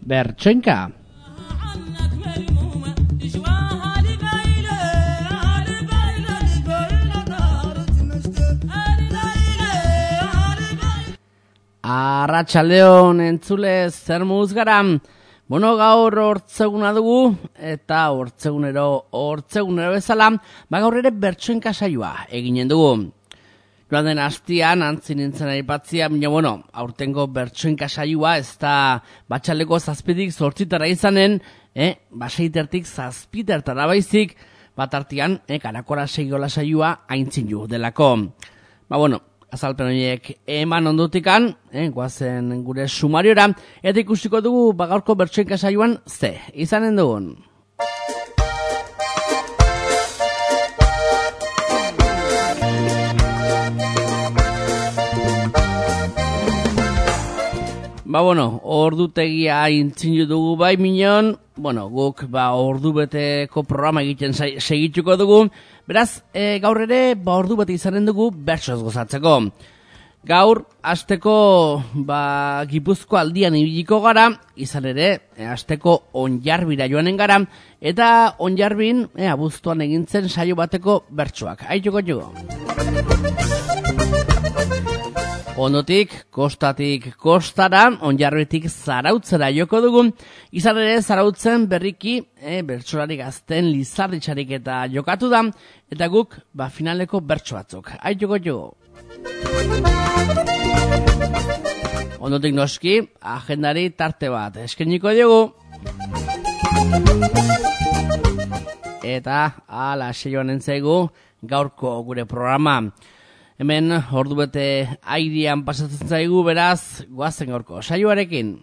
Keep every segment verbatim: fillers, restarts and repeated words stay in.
Bertsoinka. Arratsaldeon entzule, zer moduz gara? Bueno, gaur hortzeguna dugu, eta hortzegunero, hortzegunero bezala, ba gaur ere bertsoinka saioa eginen dugu. Joan den astian, antzin nintzen aipatzia, baina bueno, aurtengo bertsoinka saioa, ez da batxaleko zazpitik zortzitara izanen, eh, baseitertik zazpitertara baizik, bat artian, eh, karakora seiola saioa aintzin ju delako. Ba bueno, azalpen horiek eman ondotikan, eh, guazen gure sumariora, eta ikusiko dugu bagaurko bertsoinka saioan ze, izanen dugun. Ba bueno, ordutegia intzinu dugu bai minon, bueno, guk ba ordu beteko programa egiten segituko dugu, beraz, e, gaur ere ba ordu bete izanen dugu bertsoz gozatzeko. Gaur, asteko ba Gipuzko aldian ibiliko gara, izan ere, e, asteko Onjarbira joanen gara, eta Onjarbin, e, abuztuan egintzen saio bateko bertsoak. Aituko jugo. Ondotik, kostatik kostara, Onjarbitik Zarautzera joko dugu, izan ere Zarautzen berriki, e, bertsolari gazten Lizarditxarik eta jokatu da, eta guk, ba, finaleko bertso batzuk. Aituko jugo. Ondotik noski, agendari tarte bat eskeniko diogu. Eta, ala, seioan entzaigu, gaurko gure programa. Hemen, ordu bete airean pasatzen zaigu, beraz, goazen gaurko saioarekin.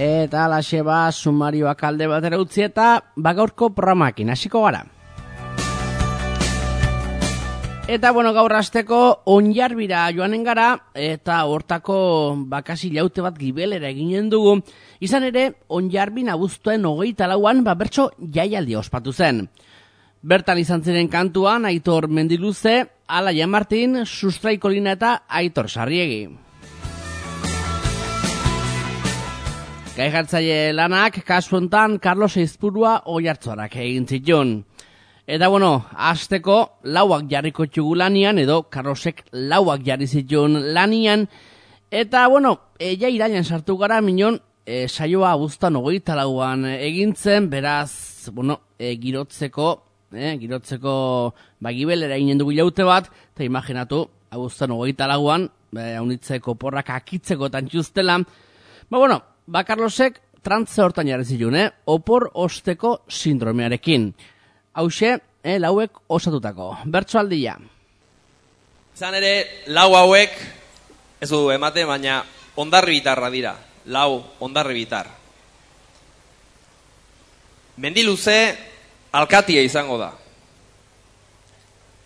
Eta alaxe ba, sumarioak alde batera utzi eta bagaurko programakin hasiko gara. Eta, bueno, gaur hasteko Onjarbira joanen gara, eta hortako bakasi laute bat gibelera eginen dugu. Izan ere, Onjarbin abuztuen hogeita lauan, ba, bertso jaialdi ospatu zen. Bertan izan ziren kantuan, Aitor Mendiluze, Alaia Martin, Sustrai Kolina eta Aitor Sarriegi. Gaijartzaile lanak, kasu hontan, Carlos Eizpurua Oiartzuarak egin zituen. Eta bueno, hasteko lauak jarriko txugu lanian, edo Carlosek lauak jarri zituen lanian. Eta bueno, e, ja irailan sartu gara minon, e, saioa abuztan hogeita lauan egintzen, beraz, bueno, e, girotzeko, e, girotzeko bagibelera eginen dugu jaute bat, eta imaginatu, abuztan hogeita lauan, e, haunitzeko porrak akitzeko tantxuztela. Ba bueno, ba Carlosek trantze hortan jarri zituen, eh? Opor osteko sindromearekin. Hauxe, eh, lauek osatutako. Bertsoaldia. Izan ere, lau hauek, ez du emate, baina ondarri bitarra dira. Lau ondarri bitar. Mendiluze alkatia izango da.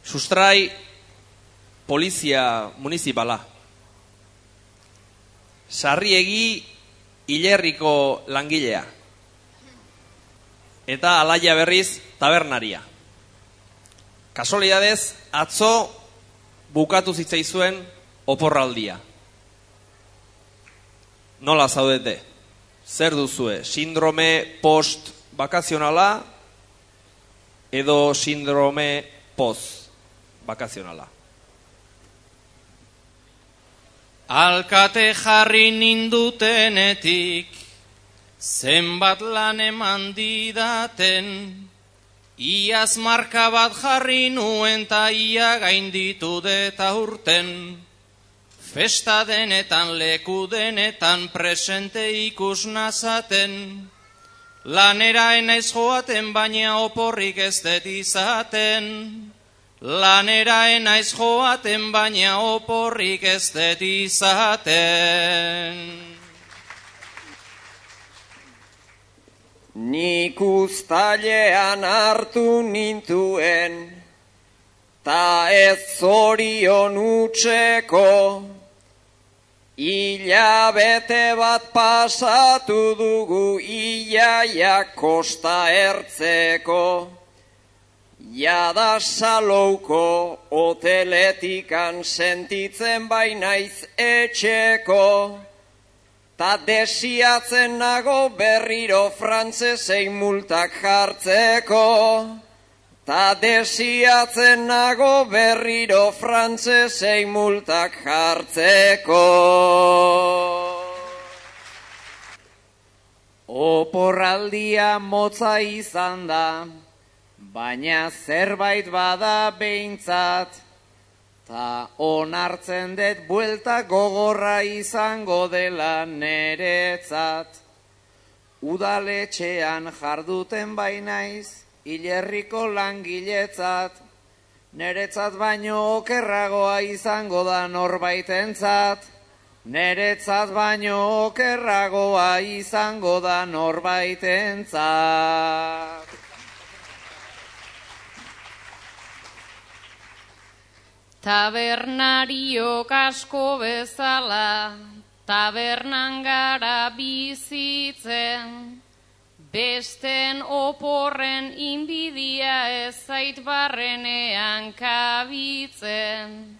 Sustrai polizia municipala. Sarriegi hilerriko langilea. Eta Alaia berriz tabernaria. Kasualidadez, atzo bukatu zitzaizuen oporraldia. Nola zaudete? Zer duzue? Sindrome post-bakazionala edo sindrome post-bakazionala? Alkate jarri nindutenetik, zenbat lan eman didaten, iaz marka bat jarri nuen ta ia gainditu deta urten. Festa denetan leku denetan presente ikus nazaten, lanera enaiz joaten baina oporrik ez det izaten. Lanera enaiz joaten baina oporrik ez det izaten. Nik uztailean hartu nintuen, ta ez zorion utzeko, Hilabete bat pasatu dugu iaia kosta ertzeko, jada salouko hoteletikan sentitzen bainaiz etxeko, ta desiatzen nago berriro frantzesei multak jartzeko, ta desiatzen nago berriro frantzesei multak jartzeko. Oporraldia motza izan da, baina zerbait bada behintzat, ta onartzen dut buelta gogorra izango dela neretzat. Udaletxean jarduten bainaiz, hilerriko langiletzat, neretzat baino okerragoa izango da norbaitentzat, neretzat baino okerragoa izango da norbaitentzat. Tabernariok asko bezala, tabernan gara bizitzen, besten oporren inbidia ez zait barrenean kabitzen.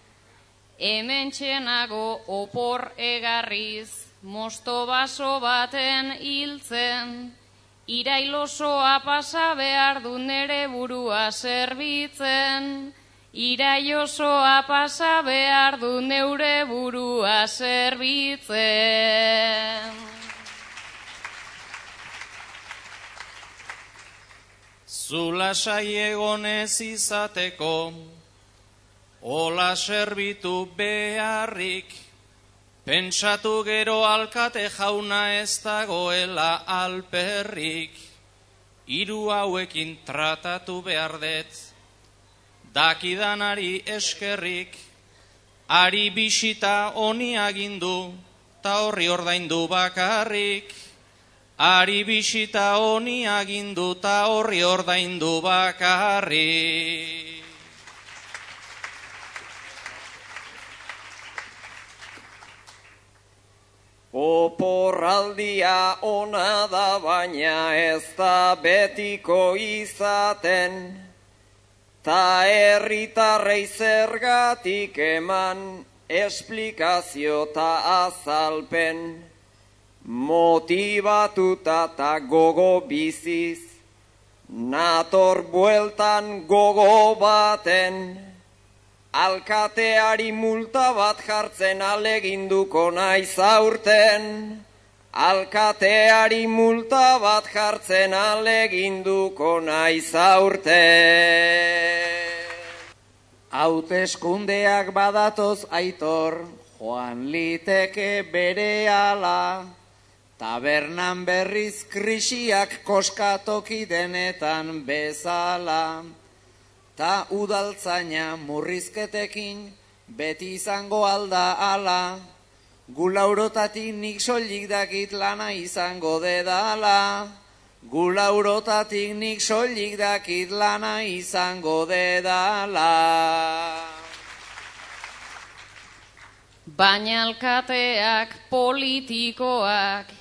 Hemen txenago opor egarriz, mosto baso baten hiltzen, irailosoa pasa behar du nere burua zerbitzen, irailosoa pasa behar du neure burua zerbitzen. Zula saiegonez izateko, ola serbitu beharrik, pentsatu gero alkate jauna ez dagoela alperrik, hiru hauekin tratatu behar dut, dakidanari eskerrik, ari bisita honi agindu, ta horri ordaindu bakarrik, ari bisita honi agindu ta horri ordaindu bakarri. Oporraldia ona da baina ez da betiko izaten, ta herritarrei zergatik eman esplikazio ta azalpen. Motibatuta ta gogo biziz, nator bueltan gogo baten, alkateari multa bat jartzen aleginduko naiz aurten, alkateari multa bat jartzen aleginduko naiz aurten. Hauteskundeak badatoz Aitor, joan liteke berehala, tabernan berriz krisiak koskatoki denetan bezala, ta udaltzaina murrizketekin beti izango alda ala, gulaurotatik nik soilik dakit lana izango dedala, gulaurotatik nik soilik dakit lana izango dedala. Baina alkateak politikoak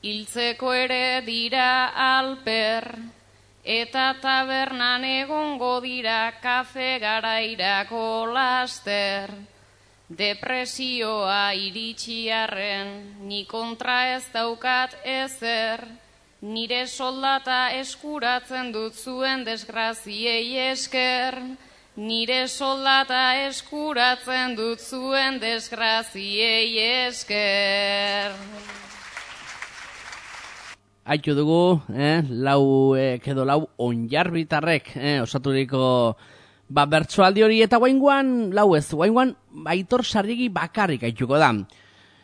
hiltzeko ere dira alper, eta tabernan egongo dira kafe garairako laster. Depresioa iritsiarren, ni kontra ez daukat ezer, nire soldata eskuratzen dut zuen desgraziei esker, nire soldata eskuratzen dut zuen desgraziei esker. Aitu dugu, eh, lau eh, edo lau onjarbitarrek eh, osaturiko ba, bertsoaldi hori, eta guainguan, lau ez, guainguan Aitor Sarrigi bakarrik aituko da.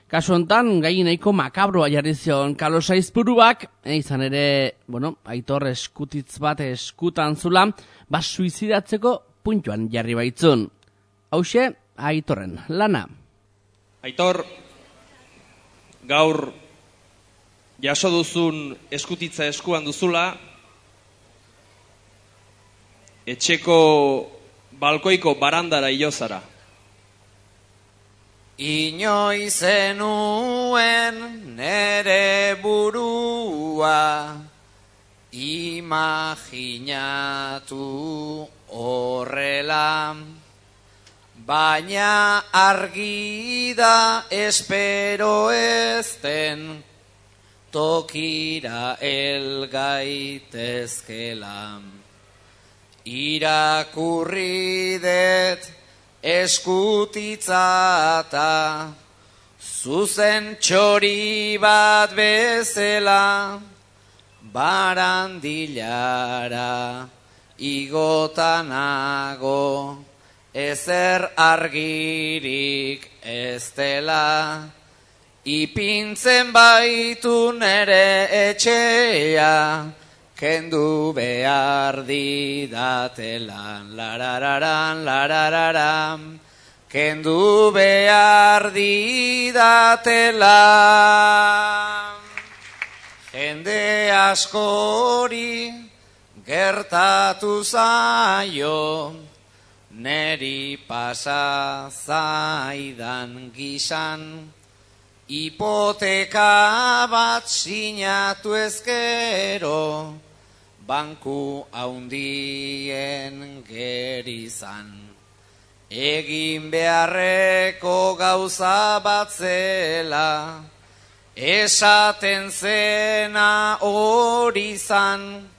Kasu honetan, gai nahiko makabroa jarri zion Carlos Aizpuruak, eh, izan ere, bueno, Aitor eskutitz bat eskutan zula, ba, suizidatzeko puntuan jarri baitzun. Hauxe, Aitorren lana. Aitor, gaur jaso duzun eskutitza eskuan duzula, etxeko balkoiko barandara iozara. inoiz zenuen nere burua, imaginatu horrela, baina argi da espero ezten, tokira elgaitezkela. Irakurri det eskutitzata, zuzen txori bat bezala, barandilara igotanago, ezer argirik ez dela, ipintzen baitu nere etxea, kendu behar didatelan, larararan, larararan, kendu behar didatelan. Jende askori gertatu zaio, neri pasa zaidan gizan, hipoteka bat sinatu ezkero, banku haundien gerizan. Egin beharreko gauza bat zela, esaten zena hori zan,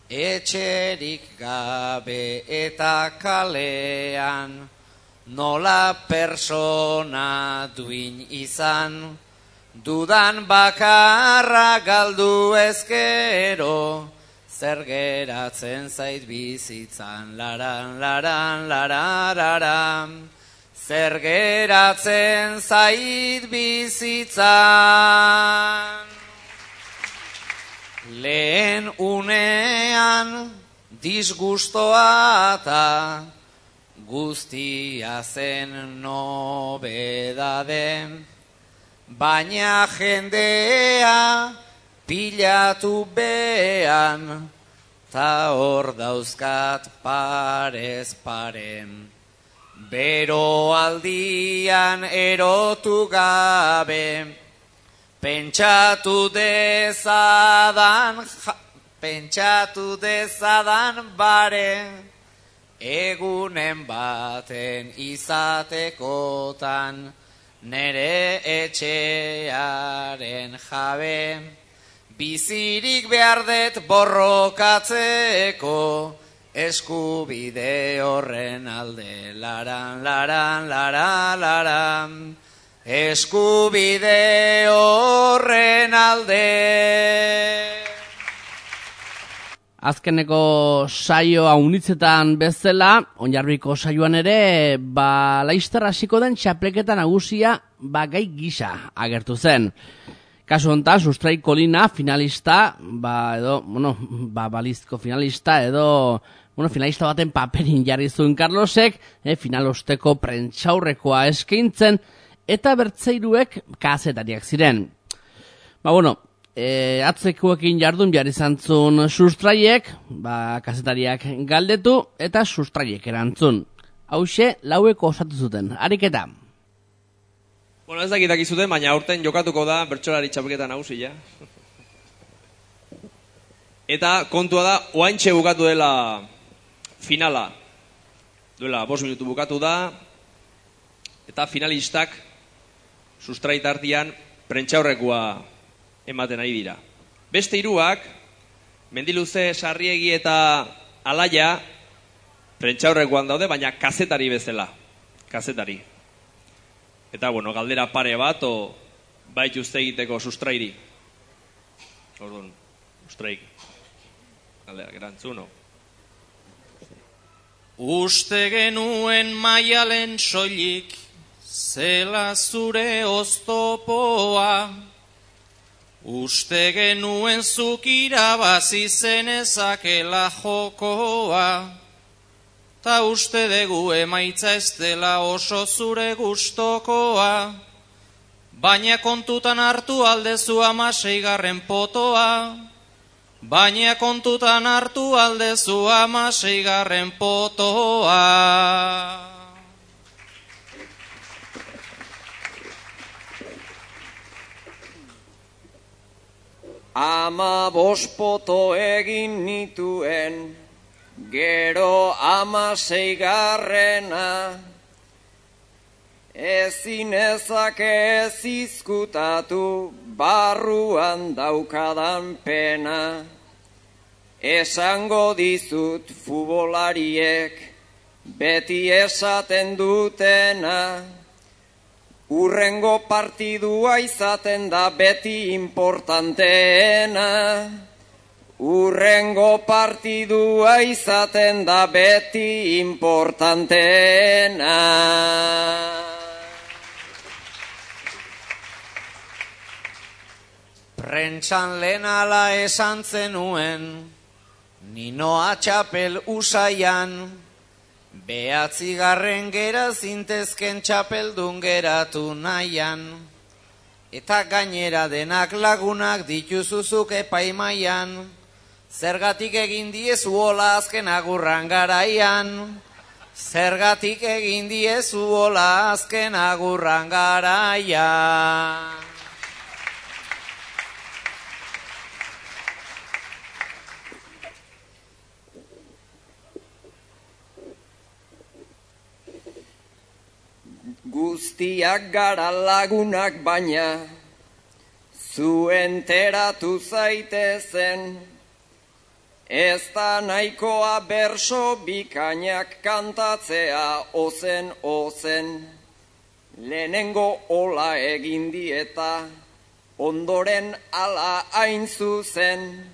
etxerik gabe eta kalean, nola persona duin izan, dudan bakarra galdu ezkero, zer geratzen zait bizitzan, laran, laran, larararan, zer geratzen zait bizitzan. Lehen unean disgustoa eta guztia zen nobedade, baina jendea pilatu behan, ta hor dauzkat parez paren. Bero aldian erotu gabe, pentsatu dezadan, pentsatu dezadan bare, egunen baten izatekotan, nere etxearen jabe, bizirik behar det borrokatzeko, eskubide horren alde, laran, laran, laran, laran, eskubide horren alde. Azkeneko saioa unitzetan bezala, Onjarbiko saioan ere, ba, laizter hasiko den txapelketa nagusia ba, gai gisa agertu zen. Kasu honetan, Sustrai Kolina finalista, ba, edo, bueno, ba, balizko finalista, edo, bueno, finalista baten paperin jarri zuen Carlosek, eh, finalosteko prentxaurrekoa eskaintzen, eta bertzeiruek kazetariak ziren. Ba, bueno, e, atzekuekin jardun jarri zantzun Sustraiek, ba, kazetariak galdetu, eta Sustraiek erantzun. Hauxe, laueko osatu zuten. Ariketa. Bueno, ez dakitak izuten, baina aurten jokatuko da bertsolari txapelketa nagusia. Eta kontua da, oaintxe bukatu dela finala. Duela, bost minutu bukatu da, eta finalistak Sustrait artean prentxaurrekoa ematen ari dira. Beste hiruak, Mendiluze, Sarriegi eta Alaia, prentxaurrekoan daude, baina kazetari bezala. Kazetari. Eta, bueno, galdera pare bat, o bait uste egiteko Sustrairi. Orduan, Sustraik. Galdera, gerantzuno. Uste genuen maialen soilik, zela zure oztopoa. Uste genuen zuk irabazi zenezakela jokoa. Ta uste dugu emaitza ez dela oso zure gustokoa, baina kontutan hartu aldezu amaseigarren potoa, baina kontutan hartu aldezu amaseigarren potoa. Ama bospoto egin nituen, gero ama seigarrena, ezin ezake ez izkutatu, barruan daukadan pena. Esango dizut futbolariek, beti esaten dutena, urrengo partidua izaten da beti importanteena. Urrengo partidua izaten da beti importanteena. Prentxan lehen ala esan zenuen, Ninoa txapel usaian, behatzigarren gera zintezken txapeldun geratu nahian, eta gainera denak lagunak dituzuzuk epaimaian, zergatik egin diezu hola azken agurran garaian, zergatik egin diezu hola azken agurran garaian. Guztiak gara lagunak baina, zu enteratu zaitezen, ez da nahikoa berso bikainak kantatzea ozen ozen. Lehenengo ola egin dieta, ondoren ala hain zuzen,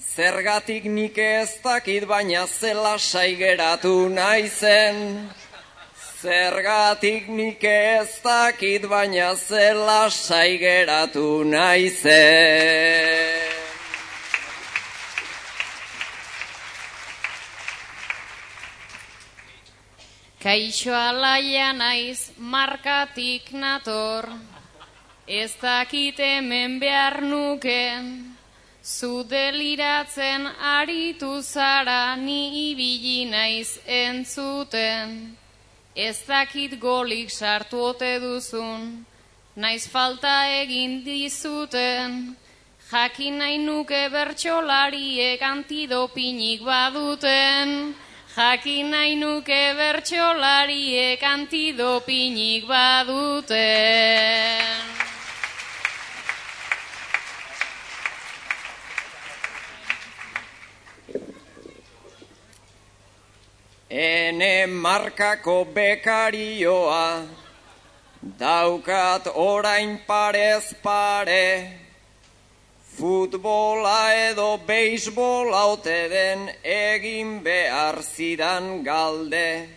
zergatik nik ez dakit baina zela saigeratu naizen. Zergatik nik ez dakit baina zela saigeratu naizen. Kaixo alaia naiz markatik nator, ez dakit hemen behar nuken, zu deliratzen aritu zara ni ibili naiz entzuten. Ez dakit golik sartu ote duzun, naiz falta egin dizuten, jakin nahi nuke bertsolariek antidopinik baduten, jakin nahi nuke bertsolariek antidopinik baduten. Ene markako bekarioa, daukat orain parez pare, futbola edo beisbola ote den egin behar zidan galde,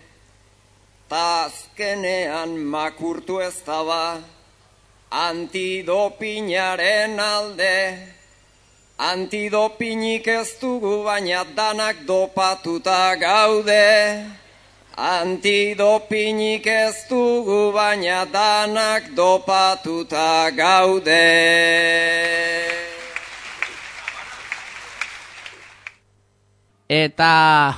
ta azkenean makurtu ez daba antidopinaren alde. Antidopinik ez dugu baina danak dopatuta gaude. Antidopinik ez dugu baina danak dopatuta gaude. Eta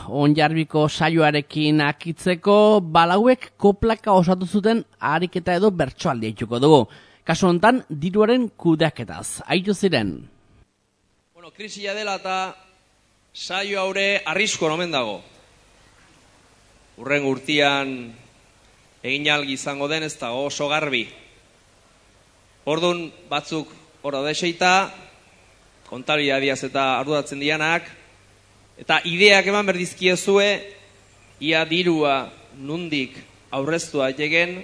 Onjarbiko saioarekin akitzeko balauek koplaka osatu zuten ariketa edo bertsoaldia ituko dugu. Kasu honetan diruaren kudeaketaz. Aitu ziren. Bueno, krisia dela eta saio haure arrisko omen dago. Urren urtian egin algi izango den ez dago oso garbi. Ordun batzuk hor deseita, kontabilidadiaz eta arduratzen dianak, eta ideak eman berdizkiezue, ia dirua nundik aurreztua jegen,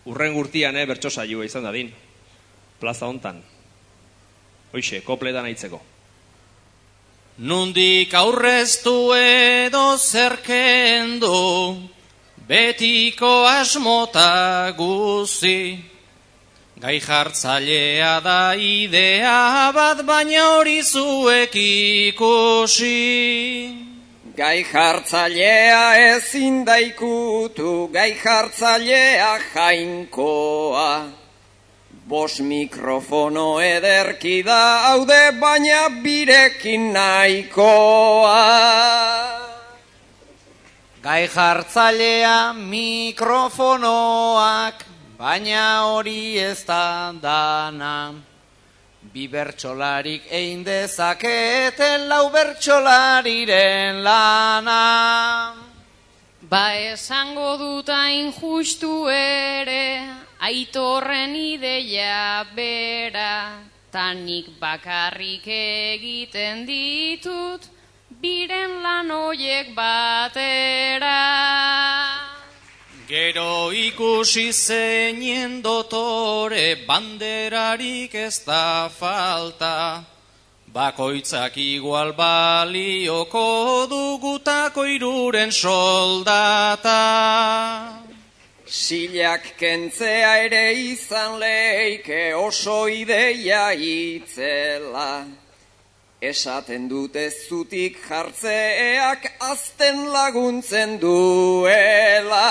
urren urtian eh, bertso saioa izan dadin, plaza hontan. Hoixe, kopletan aitzeko. Nundik aurreztu edo zerkendo, betiko asmota guzi. Gai jartzailea da idea bat, baina hori zuek ikusi. Gai jartzailea ezin da ikutu, gai jartzailea jainkoa. Bos mikrofono ederki da haude, baina birekin nahikoa. Gai jartzailea mikrofonoak, baina hori ez da dana. bi bertsolarik egin dezaketen lau bertsolariren lana. Ba esango dut hain justu ere, Aitorren ideia bera, tanik bakarrik egiten ditut, biren lan hoiek batera. Gero ikusi zeinen dotore, banderarik ez da falta, bakoitzak igual balioko dugutako iruren soldata. Silak kentzea ere izan leike oso ideia itzela. Esaten dut ez zutik jartzeak azten laguntzen duela.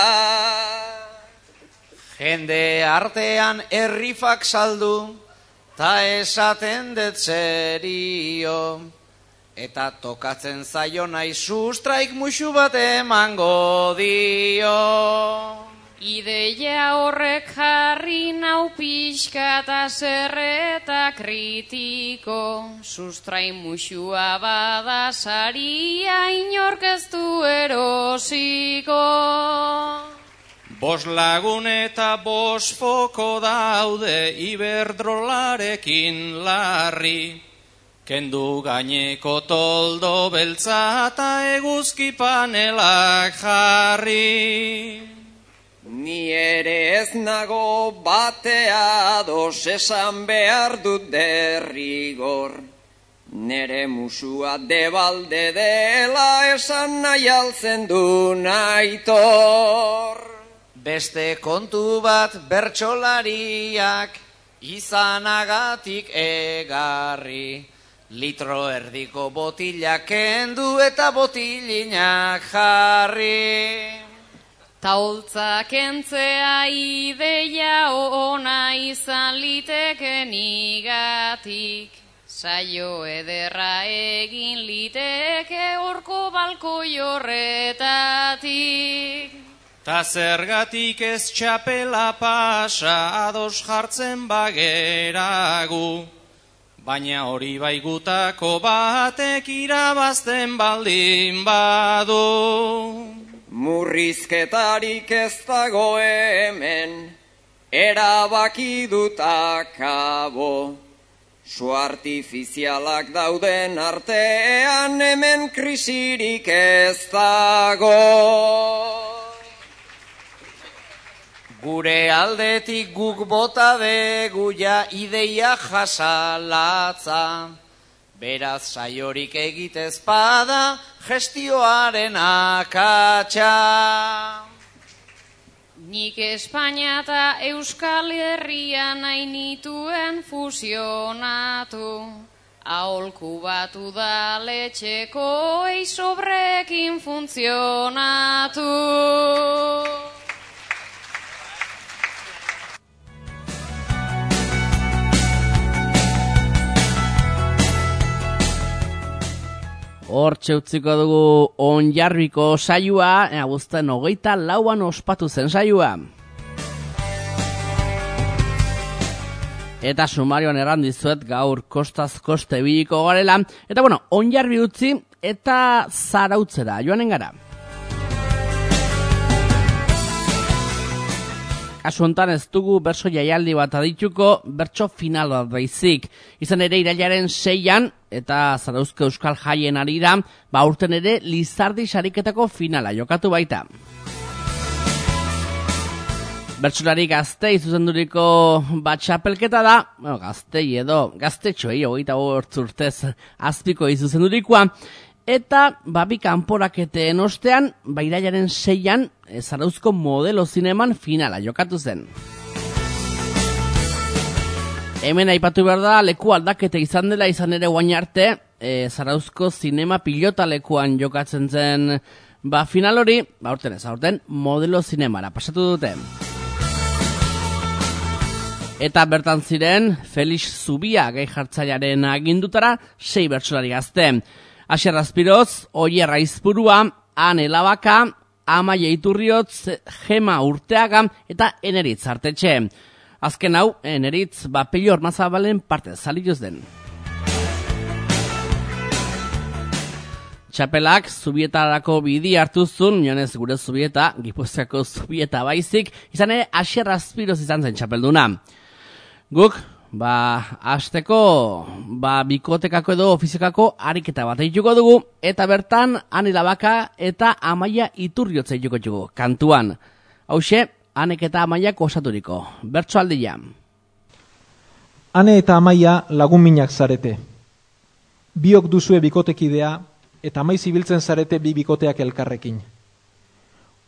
Jende artean errifak saldu, ta esaten dut zerio. Eta tokatzen zaio nahi sustraik musu bat emango dio. Ideia horrek jarri nau pixka eta zerreta kritiko, sustrai musua bada saria inork ez du erosiko. Bos lagun eta bos foko daude iberdrolarekin larri, kendu gaineko toldo beltza eta eguzki panelak jarri. Ni ere ez nago batea dos esan behar dut derrigor. Nere musua debalde dela esan nahi altzen du Aitor. Beste kontu bat bertsolariak izanagatik egarri. Litro erdiko botilak kendu eta botilinak jarri. Taultza kentzea ideia ona izan liteken igatik, saio ederra egin liteke horko balkoi horretatik. Ta zergatik ez txapela pasa ados jartzen bageragu, baina hori baigutako batek irabazten baldin badu. Murrizketarik ez dago hemen, erabaki dut akabo. Su artifizialak dauden artean hemen krisirik ez dago. Gure aldetik guk bota degu ja ideia jasalatza. Beraz saiorik egitez bada gestioaren akatsa. Nik Espainia eta Euskal Herria nahi nituen fusionatu. Aholku bat udaletxeko eisobrekin funtzionatu. Hortxe utziko dugu Onjarbiko saioa, abuzten hogeita lauan ospatu zen saioa. Eta sumarioan erran dizuet gaur kostaz koste biliko garela. Eta bueno, Onjarbi utzi eta Zarautzera joanen gara. Kasu honetan ez dugu bertso jaialdi bat adituko, bertso final bat baizik. Izan ere irailaren seian, eta Zarauzko Euskal Jaien arira, ba urten ere Lizardi sariketako finala jokatu baita. Bertsolari gaztei zuzenduriko bat txapelketa da, bueno, gaztei edo gaztetxoei hogeita bost urtez azpiko izuzendurikoa, eta babi kanporaketen ostean, ba irailaren seian, Zarauzko Modelo Zineman finala jokatu zen. Hemen aipatu behar da, leku aldaketa izan dela izan ere guain arte, e, Zarauzko Zinema Pilota lekuan jokatzen zen ba final hori, ba urten ez, aurten Modelo Zinemara pasatu dute. Eta bertan ziren, Felix Zubia gai jartzailearen agindutara, sei bertsolari gazte. Asier Azpiroz, Oier Aizpurua, Ane Labaka, Amaia Iturriotz, Gema Urteaga eta Eneritz Artetxe. Azken hau, Neritz Bapelio Ormazabalen parte zalioz den. Txapelak Zubietarako bidi hartuzun, jonez gure Zubieta, Gipuzkoako Zubieta baizik, izan ere Asier Azpiroz izan zen txapelduna. Guk, ba, hasteko, ba, bikotekako edo ofiziokako ariketa bat eituko dugu, eta bertan, Ane Labaka eta Amaia Iturriotza eituko dugu, kantuan. Hauxe, Anek eta Amaiak osaturiko, bertso aldia. Ane eta Amaia lagun minak zarete. Biok duzue bikotekidea, eta maiz ibiltzen zarete bi bikoteak elkarrekin.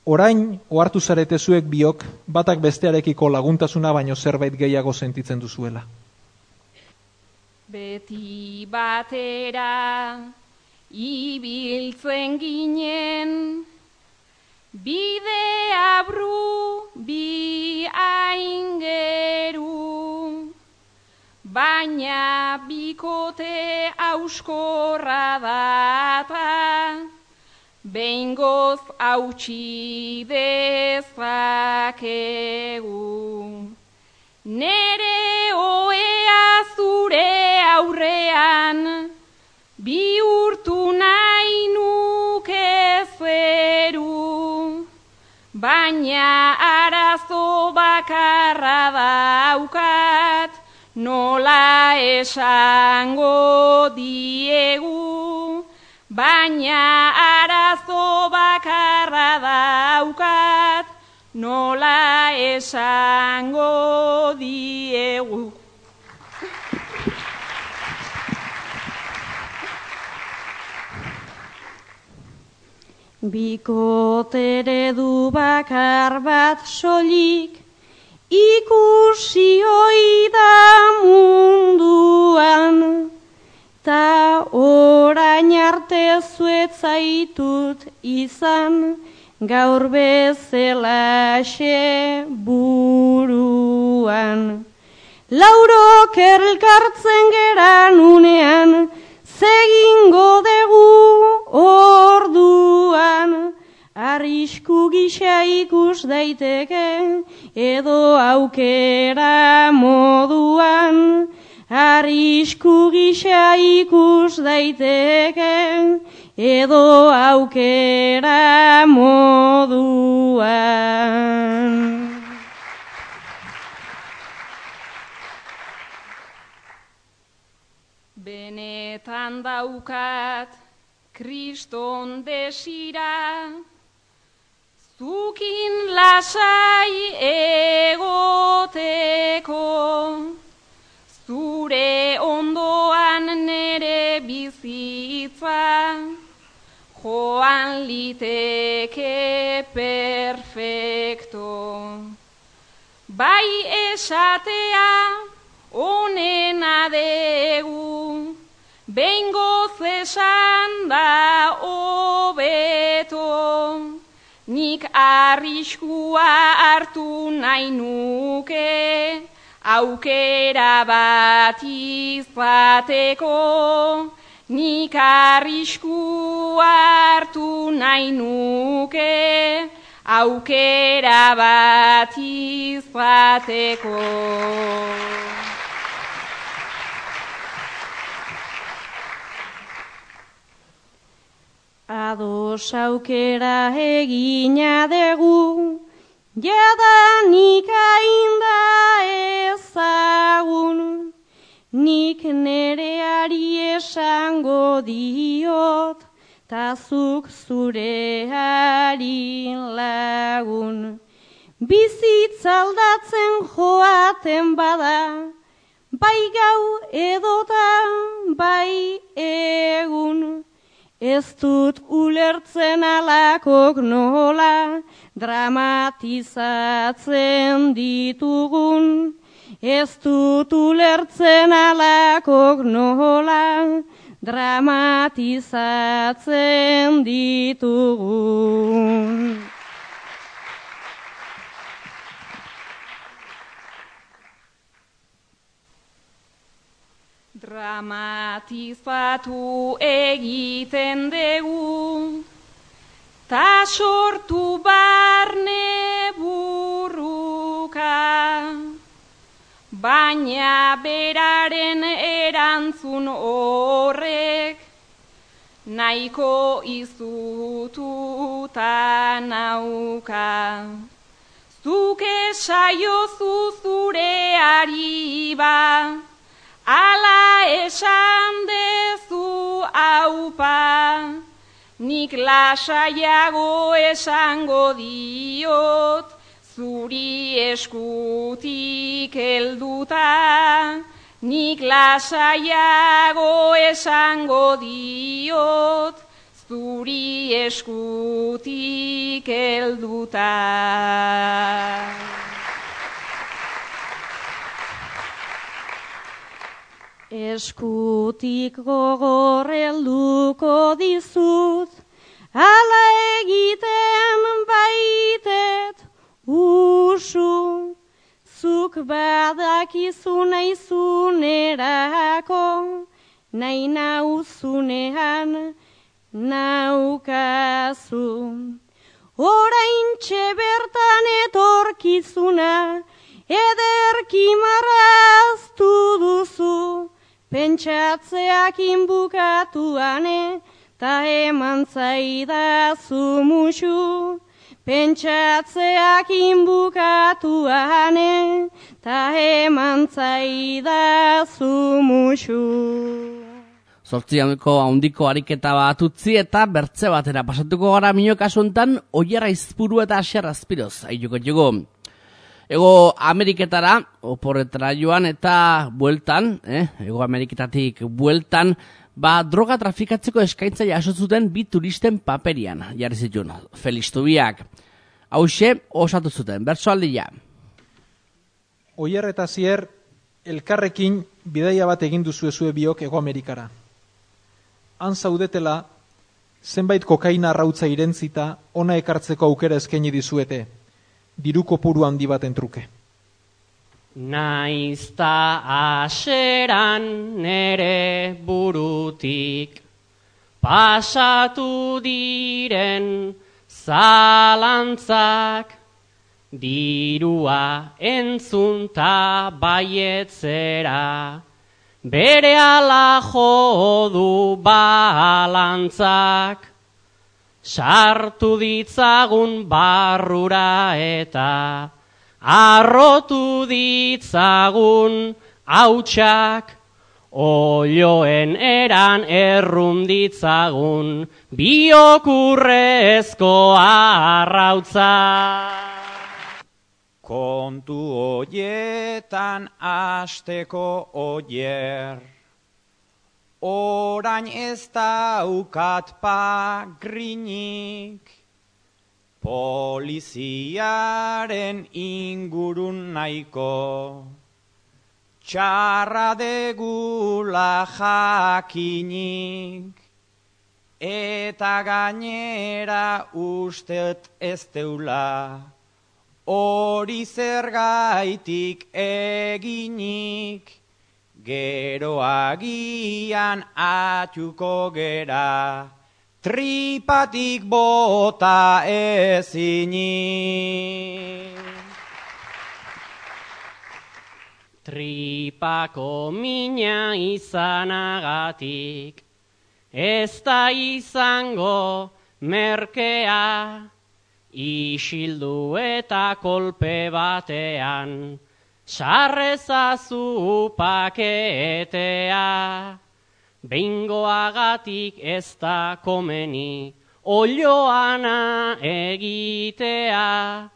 Orain, ohartu zarete zuek biok, batak bestearekiko laguntasuna baino zerbait gehiago sentitzen duzuela. Beti batera ibiltzen ginen, bide abru bi aingeru, baina bikote auskorra data, behingoz hautsi dezakegu. Nere oea zure aurrean, bihurtu nahi nuke zeru, baina arazo bakarra daukat, nola esango diegu, baina arazo bakarra daukat, nola esango diegu. Bikotere du bakar bat soilik, ikusi oi da munduan, ta orain arte zuetzaitut izan, gaur bezelaxe buruan. Laurok elkartzen geran unean, zegingo dugu orduan, arrisku gisa ikus daiteke, edo aukera moduan, arrisku gisa ikus daiteke, edo aukera moduan. Benetan daukat Kriston desira, zukin lasai egoteko, zure ondoan nere bizitza, joan liteke perfecto. Bai esatea onena degu, behingoz esan da hobeto, nik arriskua hartu nahi nuke, aukera bat izateko, nik arriskua hartu nahi nuke, aukera bat izateko. Ados aukera egina dugu, jadanik ainda ezagun, nik nereari esango diot, tazuk zureari lagun. Bizitzaldatzen joaten bada, bai gau edota bai egun, ez dut ulertzen alakok nola dramatizatzen ditugun, ez dut ulertzen alakok nola dramatizatzen ditugun. Dramatizatu egiten dugu, ta sortu barne burruka, baina beraren erantzun horrek nahiko izututa nauka. Zuk esaiozu zureari ba, ala esan dezu aupa, nik lasaiago esango diot, zuri eskutik helduta, nik lasaiago esango diot, zuri eskutik helduta. Eskutik gogor helduko dizut, ala egiten baitet usu, zuk badakizu naizunerako, nahi nauzunean naukazu. Oraintxe bertan etorkizuna, ederki marraztu duzu, pentsatzeak inbukatuane, ta eman zaidazu musu. Pentsatzeak inbukatuane, ta eman zaidazu musu. Zortzianeko handiko ariketa bat utzi eta bertze batera pasatuko gara minio kasuntan Oier Aizpuru eta Asier Azpiroz aituko jugu. Ego Ameriketara, oporretara joan eta bueltan, eh? Ego Ameriketatik bueltan, ba droga trafikatzeko eskaintza jaso zuten bi turisten paperian, jarri zituen, Felistubiak. Hauxe, osatu zuten, bertsoaldia. Oier eta Asier, elkarrekin bidaia bat egin duzuezue biok Ego Amerikara. Han zaudetela, zenbait kokaina arrautza irentzita, ona ekartzeko aukera eskaini dizuete, diru kopuru handi baten truke. Naizta aseran nere burutik pasatu diren zalantzak, dirua entzunta baietzera, berehala jo du balantzak, sartu ditzagun barrura eta arrotu ditzagun hautsak, olioen eran errun ditzagun biokurrezko arrautza. Kontu hoietan asteko Oier, orain ez daukat pagrinik, poliziaren ingurun nahiko, txarra degula jakinik, eta gainera ustet ez deula, hori zergaitik eginik, gero agian atxuko gera, tripatik bota ezinik. Tripako mina izanagatik, ez da izango merkea, isildu eta kolpe batean, sarrezazu paketea. Behingoagatik ez da komeni, olioana egitea,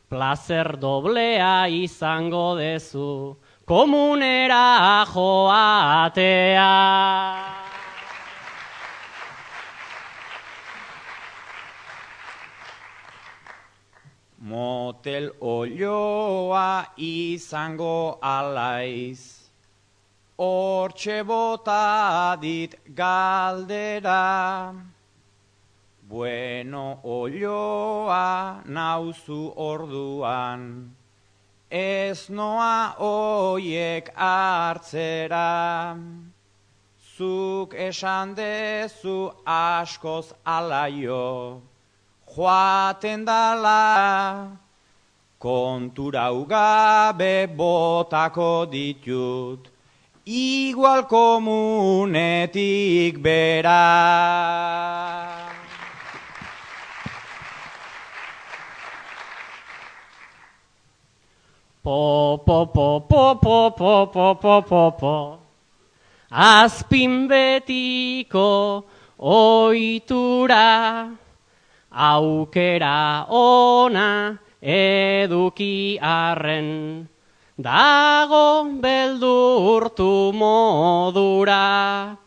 plazer doblea izango dezu, komunera joatea. Motel olioa izango alaiz, hortxe bota dit galdera. Bueno olioa nauzu orduan, ez noa oiek hartzera. Zuk esan dezu askoz alaio, joaten dala, kontura ugabe botako ditut, igual komunetik bera. Po, po, po, po, po, po, po, po, po, po. Azpin betiko oitura, aukera ona eduki arren, dago beldurtu modura,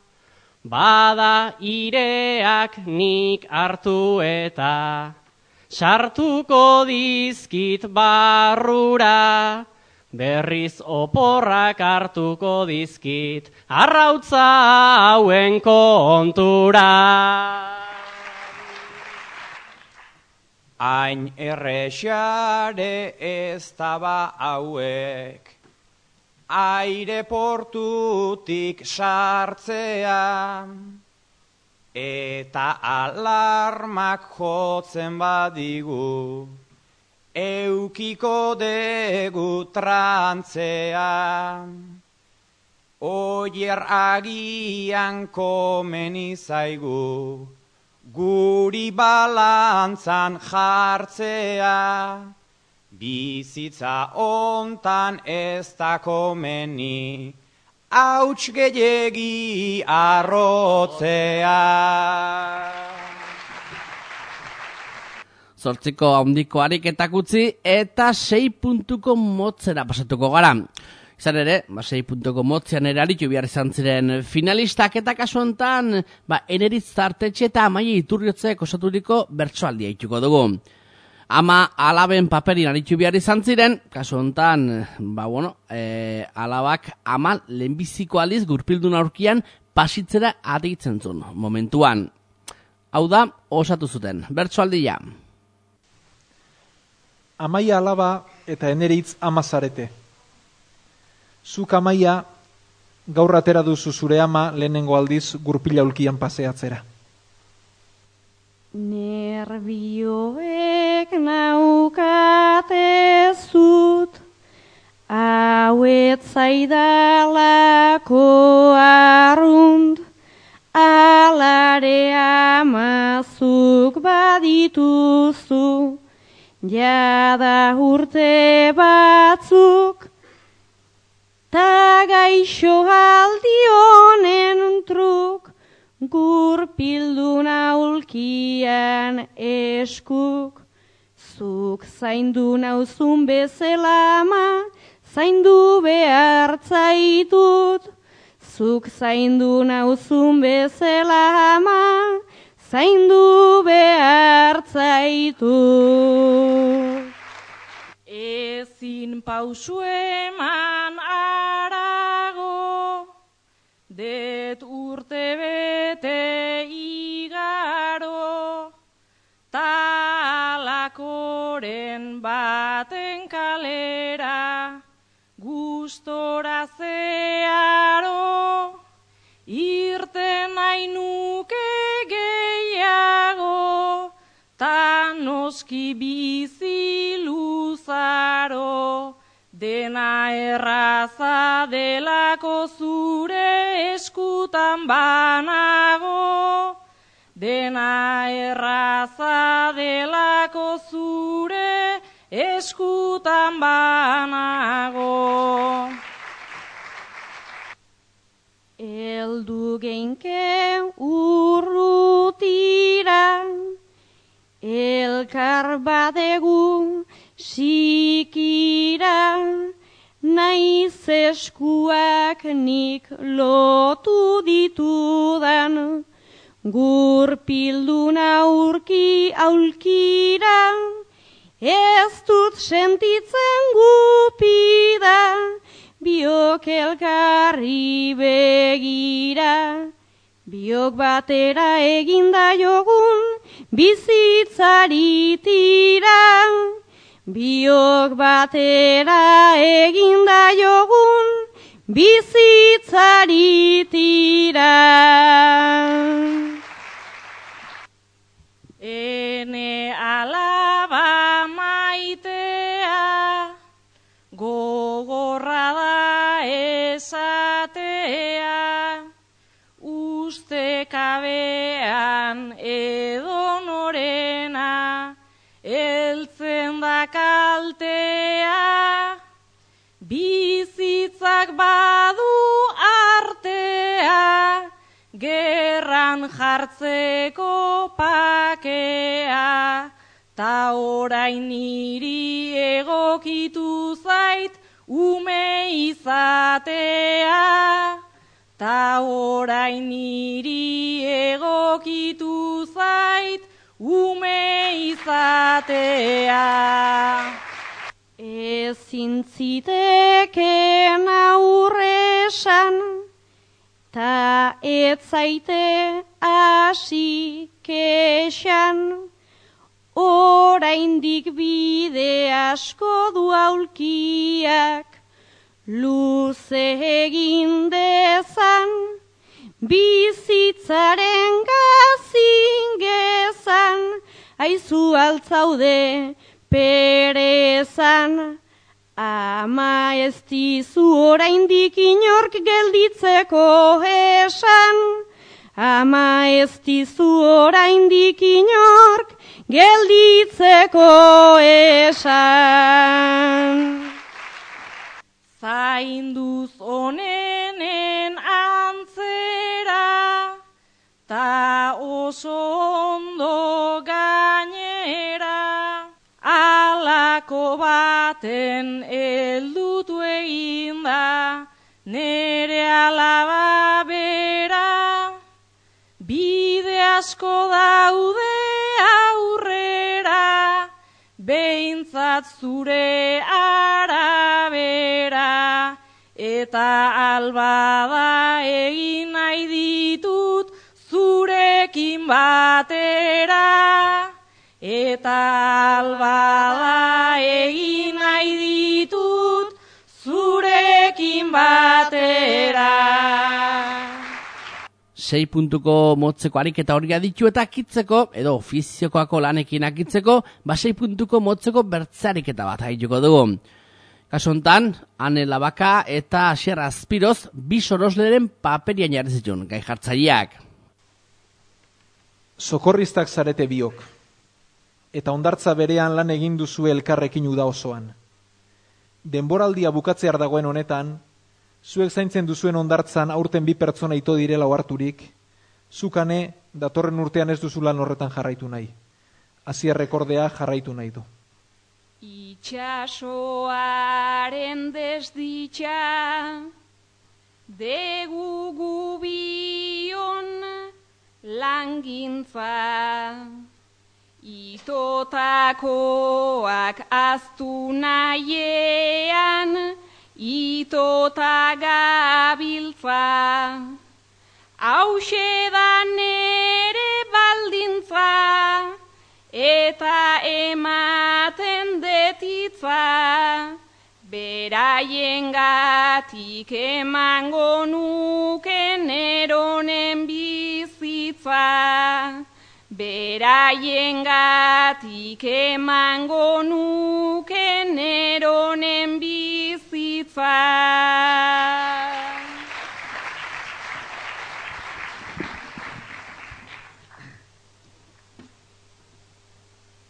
bada ireak nik hartu eta sartuko dizkit barrura, berriz oporrak hartuko dizkit arrautza hauen kontura. Hain errexare ez daba hauek, aireportutik sartzea, eta alarmak jotzen badigu, eukiko degu trantzea. Oier agian komeni zaigu, guri balantzan jartzea, bizitza ontan ez da komeni, hauts gehiegi arrotzea. Zortziko handiko ariketak utzi eta sei puntuko motzera pasatuko gara. Izan ere, ba, sei puntuko motzean ere aritu behar izan ziren finalistak eta kasu honetan, ba, Eneritz Tartetxe eta Amaia Iturriotzek osaturiko bertsoaldia ituko dugu. Ama alaben paperin aritu behar izan ziren, kasu honetan, ba, bueno, e, alabak ama lehenbiziko aliz gurpildun aurkian pasitzera aditzen zuen momentuan. Hau da, osatu zuten, bertsoaldia. Amaia alaba eta Eneritz ama zarete. Zuk Amaia gaur atera duzu zure ama lehenengo aldiz gurpila ulkian paseatzera. Nerbioek naukate zut, hauet zaidalako arrunt, alare amazuk badituzu, jada urte batzuk, ta gaixo aldi honen truk, gurpildun aulkian eskuk. Zuk zaindu nauzun bezala ama, zaindu behar zaitut. Zuk zaindu nauzun bezala ama, zaindu behar zaitut. Ezin pausu eman arago, det urte bete igaro, talakoren baten kalera, gustora zearo, irten nahi nuke gehiago, ta noski bizi luzaro, dena erraza delako zure eskutan banago, dena erraza delako zure eskutan banago. Eldu geinke urrutira, elkar badegu sikira, naiz eskuak nik lotu ditudan, gurpildun aurki aulkira, ez dut sentitzen gupida, biok elkarri begira, biok batera eginda jogun, bizitzari tira, biok batera eginda jogun, bizitzari tira. Ene alaba maitea, esatea, ustekabean edonorena, heltzen da kaltea, bizitzak badu artea, gerran jartzeko pakea, ta orain niri egokitu zait ume izatea, ta orain niri egokitu zait ume izatea. Ezin ziteken aurresan, ta ez zaite hasi kexan, oraindik bide asko du aulkiak, luze egin dezan, bizitzaren gazin gezan, aizu altzaude perezan, ama ez dizu oraindik inork gelditzeko esan, ama ez dizu oraindik inork gelditzeko esan. Zainduz onenen antzera, ta oso ondo gainera, alako baten eldutu egin da, nere alaba bera, bide asko daude aurrera, behintzat zure arabera, eta albada egin nahi ditut zurekin batera, eta albada egin nahi ditut zurekin batera. Sei puntuko motzeko ariketa hori aditu eta akitzeko, edo ofiziokoako lanekin akitzeko, ba sei puntuko motzeko bertze ariketa bat haituko dugu. Kasu hontan, Ane Labaka eta Asier Azpiroz bi sorosleren paperian jarri zituen gai jartzaileak. Sokorristak zarete biok, eta hondartza berean lan egin duzu elkarrekin uda osoan. Denboraldia bukatzear dagoen honetan, zuek zaintzen duzuen hondartzan aurten bi pertsona ito direla oharturik, zukane datorren urtean ez duzu lan horretan jarraitu nahi. Asier rekordea jarraitu nahi du. Itxasoaren desditxa, degu gubion langintza, itotakoak aztu nahiean, itota gabiltza, hauxe da nere baldintza, eta ematen detitza, beraiengatik emango nuke neronen bizitza, beraiengatik emango nuke neronen bizitza.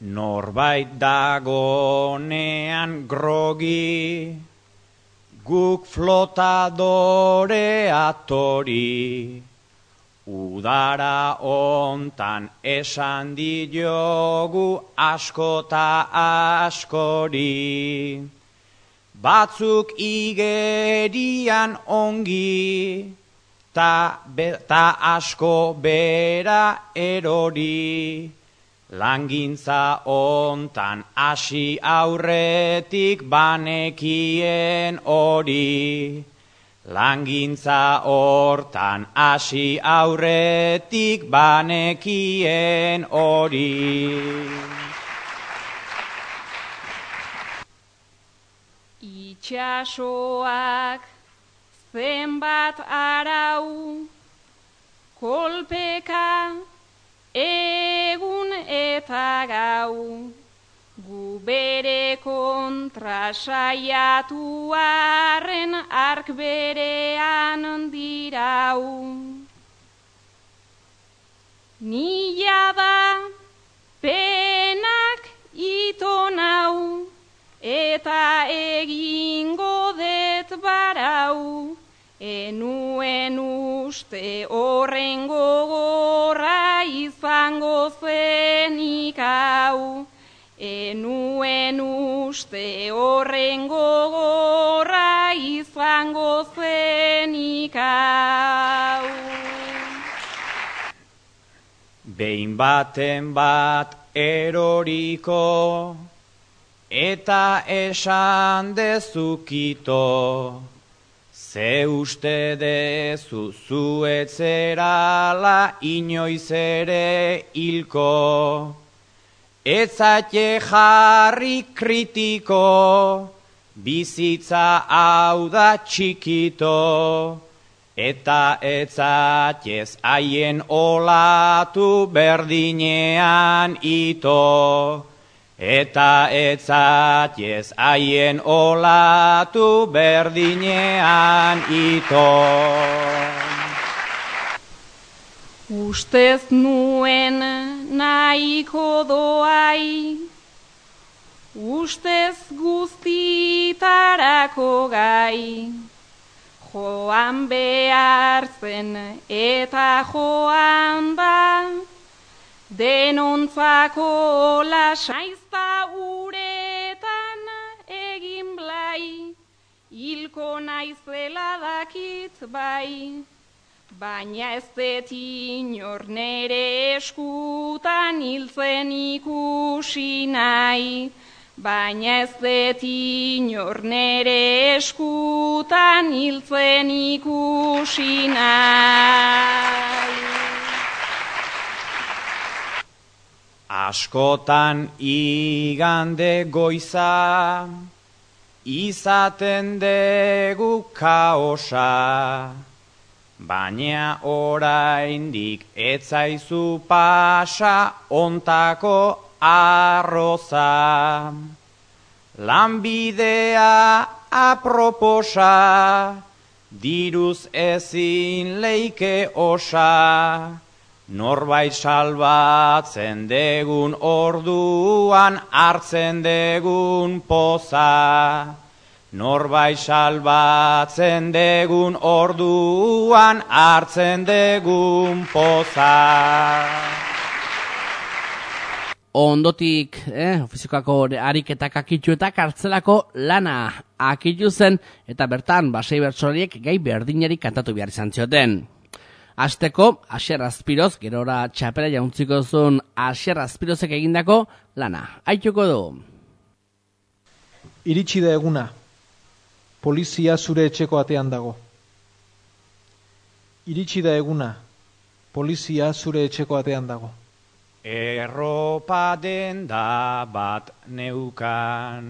Norbait dagonean grogi, guk flotadore atori, udara ontan esan diogu askota askori, batzuk igerian ongi, ta, be, ta asko bera erori, langintza ontan hasi aurretik banekien hori. Langintza hortan hasi aurretik banekien hori. Itxasoak zenbat arau, kolpeka egun eta gau, gu bere kontra kontra saiatu arren ark berean dirau. Nila da penak ito nau, eta egingo det barau, enuen uste horren gogorra izango zenik hau, enuen uste horren gogorra izango zenik hau. Behin baten bat eroriko, eta esan dezukito, ze uste dezu zuetzerala inoiz ere hilko, etzate jarri kritiko, bizitza hau da txikito, eta etzatez haien olatu berdinean ito, eta etzatez haien olatu berdinean ito. Ustez nuen nahiko doai, ustez guztitarako gai, joan behar zen eta joan da, denontzako lasaizta uretan egin blai, hilko naizela dakit bai, baina ez det inor nere eskutan hiltzen ikusi nahi, baina ez det inor nere eskutan hiltzen ikusi nahi. Askotan igande goiza, izaten degu kaosa, baina oraindik etzaizu pasa ontako arroza. Lanbidea aproposa, diruz ezin leike osa, norbait salbatzen degun orduan hartzen degun poza. Norbait salbatzen degun orduan hartzen degun poza. Ondotik, eh, ofizikako ariketak akitxu eta kartzelako lana akitxu zen, eta bertan basei bertsolariek gai berdinari kantatu behar izan zioten. Azteko, Asier Azpiroz, gerora txapela jauntziko zuen Asier Azpirozek egindako lana. Aituko du. Iritsi da eguna, polizia zure etxeko atean dago. Iritsi da eguna, polizia zure etxeko atean dago. Erropa denda bat neukan,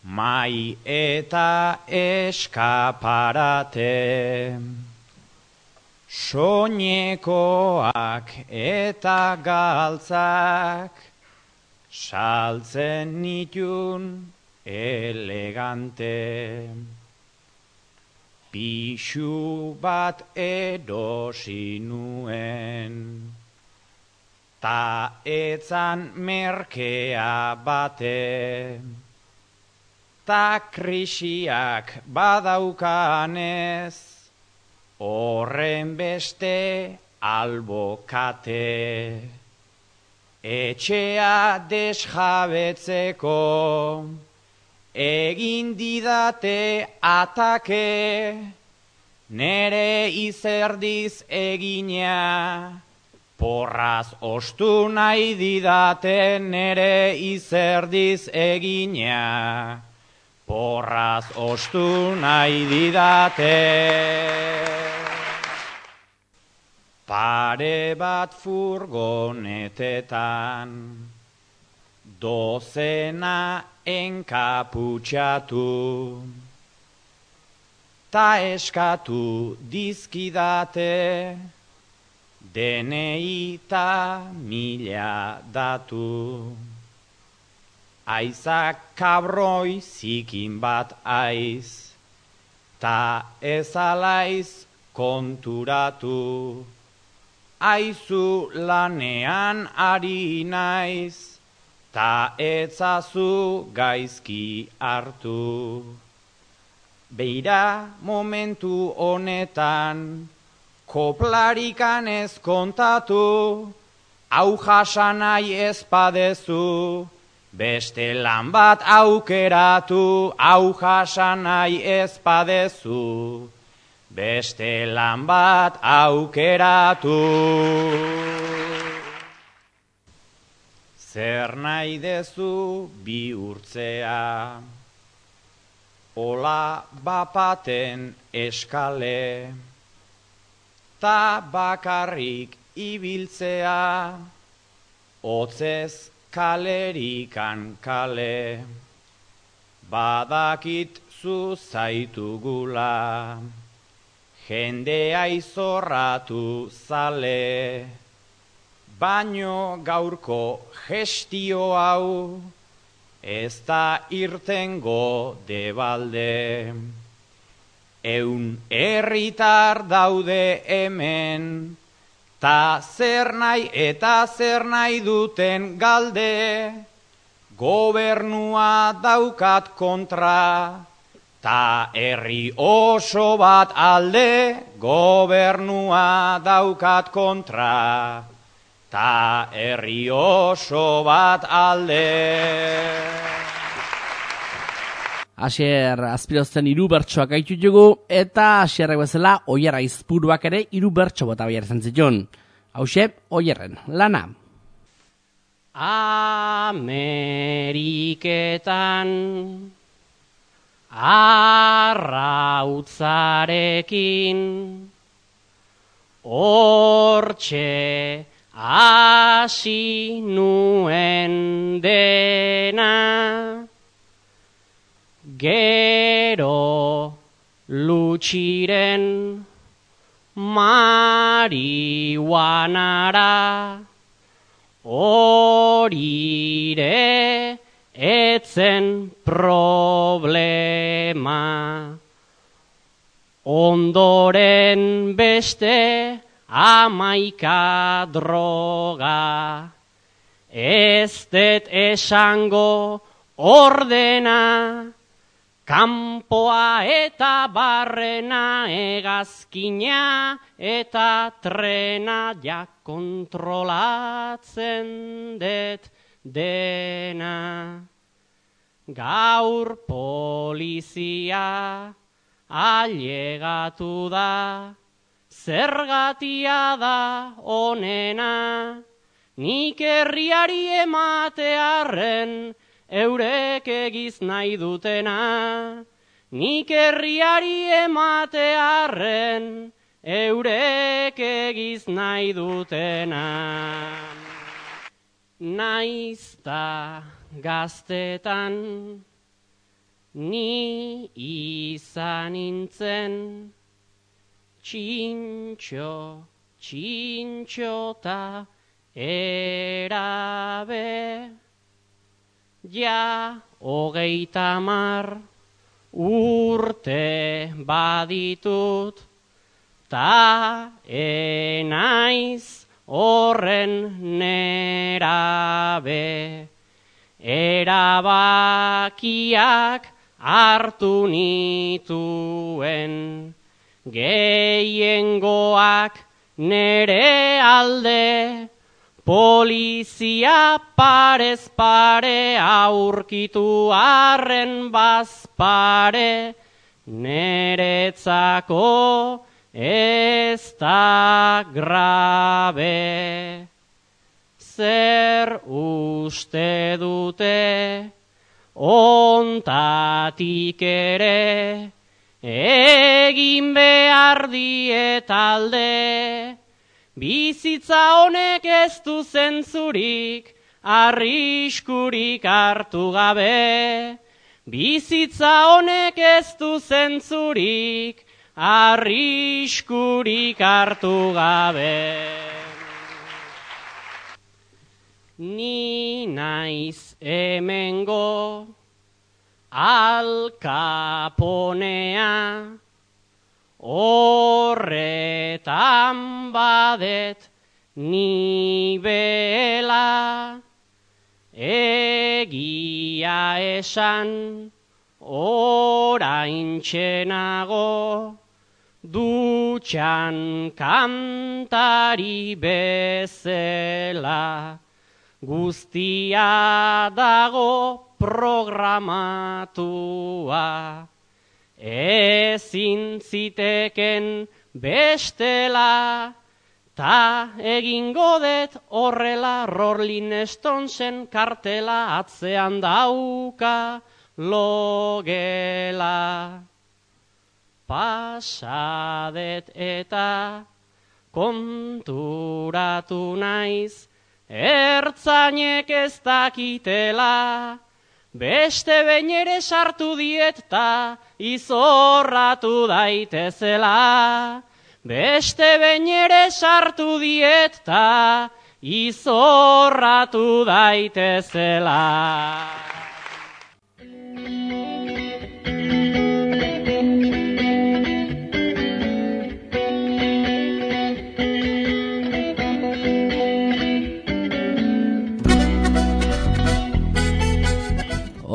mai eta eskaparate, soinekoak eta galtzak, saltzen nitun elegante. Pixu bat erosi nuen, ta etzan merkea bate, ta krisiak badaukanez, horren beste albokate. Etxea desjabetzeko, egin didate atake, nere izerdiz egina, porraz ostu nahi didate nere izerdiz egina, porraz ostu nahi didate. Pare bat furgonetetan, dozena enkaputxatu, ta eskatu dizkidate, D N I ta mila datu. Aizak kabroi zikin bat aiz, ta ez alaiz konturatu. Aizu lanean ari naiz, ta etzazu gaizki hartu. Beira momentu honetan, koplarikan ez kontatu, hau jasanai ez padezu, beste lan bat aukeratu, hau jasanai ez padezu, beste lan bat aukeratu. Zer nahi dezu bihurtzea, ola bapaten eskale, ta bakarrik ibiltzea, hotzez kalerikan kale. Badakit zu zaitugula, jendea izorratu zale, baino gaurko gestio hau, ez da irtengo debalde. Eun herritar daude hemen, ta zer nahi eta zer nahi duten galde, gobernua daukat kontra, ta herri oso bat alde, gobernua daukat kontra, ta herri oso bat alde. Asier Azpirozten hiru bertsoak gaitu dugu, eta Asierrek bezala Oier Aizpuruak ere hiru bertso bota behar izan zituen. Hauxe, Oierren lana. Ameriketan arrautzarekin hortxe hasi nuen dena, gero lutxiren marihuanara, horire etzen problema. Ondoren beste amaika droga, ez det esango ordena, kanpoa eta barrena, hegazkina eta trena, ja kontrolatzen det dena. Gaur polizia ailegatu da, zergatia da onena, nik herriari ematearren, eurek egiz nahi dutena, nik herriari ematearren, eurek egiz nahi dutena. Naizta gaztetan ni izan nintzen, txintxo, txintxota erabe, ja hogeita hamar urte baditut, ta enaiz horren nerabe. Erabakiak hartu nituen, gehiengoak nere alde, polizia parez pare aurkitu arren bazpare, neretzako ez da grabe. Zer uste dute ontatik ere, egin behar diet alde, bizitza honek ez du zentzurik, arriskurik hartu gabe. Bizitza honek ez du zentzurik, arriskurik hartu gabe. ni naiz hemengo Al Caponea, horretan badet ni bela, egia esan oraintxe nago, dutxan kantari bezela, guztia dago programatua, ezin ziteken bestela, ta egingo det horrela Rolling Stonesen kartela atzean dauka logela. Pasadet eta konturatu naiz, ertzainek ez dakitela, beste behin ere sartu diet ta izorratu daitezela. Beste behin ere sartu diet ta izorratu daitezela.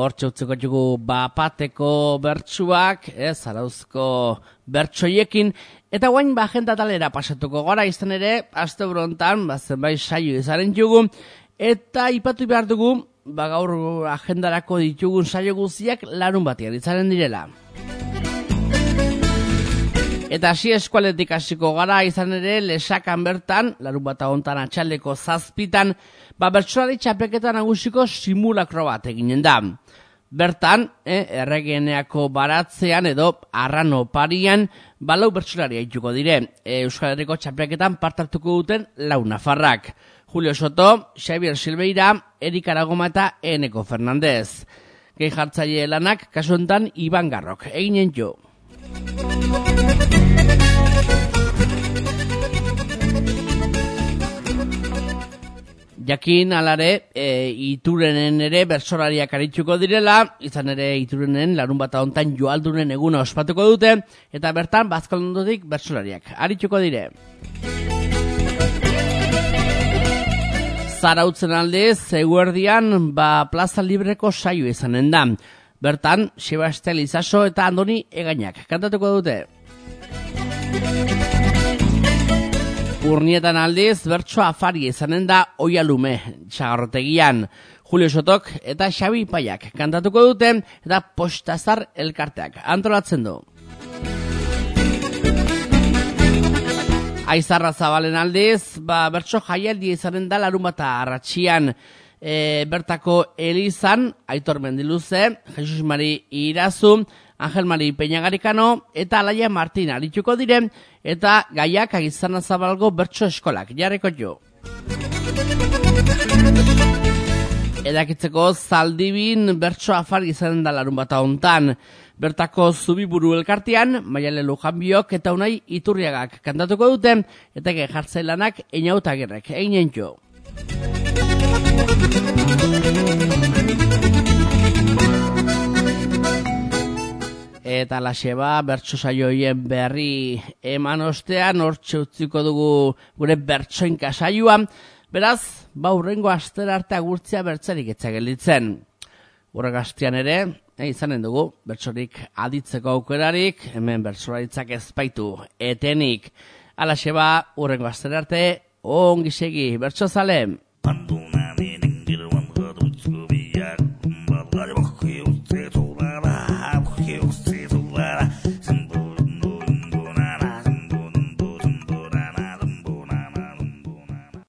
Hortxe utziko dugu bapateko bertsuak, ez, Zarauzko bertsoiekin, eta guain ba agenda talera pasatuko gara, izan ere, aste brontan, ba, zenbait saio izaren jugu, eta ipatu behar dugu, ba gaur agendarako ditugun saio guztiak larun batian izaren direla. Eta hasi eskualetik hasiko gara, izan ere, Lesakan bertan, larun bata hontan atxaldeko zazpitan, ba bertsolari txapelketa nagusiko simulakro bat eginen da. Bertan, eh, erregeneako baratzean edo arrano parian, balau bertsolari haituko dire. E, Euskal Herriko txapelketan partartuko duten lau nafarrak. Julio Soto, Xavier Silveira, Erik Aragoma eta Eneko Fernandez. Gehi jartzaile lanak, kasu honetan Iban Garrok. Eginen jo. Jakin alare, e, Iturenen ere bertsolariak arituko direla, izan ere Iturenen larun bata hontan joaldunen eguna ospatuko dute, eta bertan Bazkalondotik bertsolariak arituko dire. Zarautzen aldez, eguerdian, ba Plaza Libreko saio izanen da. Bertan, Sebastel Izaso eta Andoni Egainak kantatuko dute. Urnietan aldiz, bertso afari izanen da Oialume, Txagarrotegian. Julio Sotok eta Xabi Paiak kantatuko dute eta Postazar elkarteak antolatzen du. Aizarra Zabalen aldiz, ba, bertso jaialdi izanen da larun bata arratxian. E, bertako Elizan, Aitor Mendiluze, Jesus Mari Irazu, Angel Mari Peñagarikano eta Alaia Martin arituko diren, eta gaiak Aizarra Zabalgo bertso eskolak jarriko jo. Edakitzeko Zaldibin bertso afari izanen da larun bata hontan. Bertako Zubiburu elkartean, Maiale Lujanbiok eta Unai Iturriagak kantatuko duten, eta gehartzailanak Einautagirrek eginen jo. Eta laseba bertso saioien berri eman ostean, hortxe utziko dugu gure bertsoinka saioa. Beraz, ba hurrengo astera arte agurtzea bertzerik etzagelditzen. Hurrengo astean ere, e, izanen dugu, bertsorik aditzeko aukerarik, hemen bertsolaritzak ezpaitu etenik. Alaxeba, hurrengo astera arte, ongi segi, bertso zale.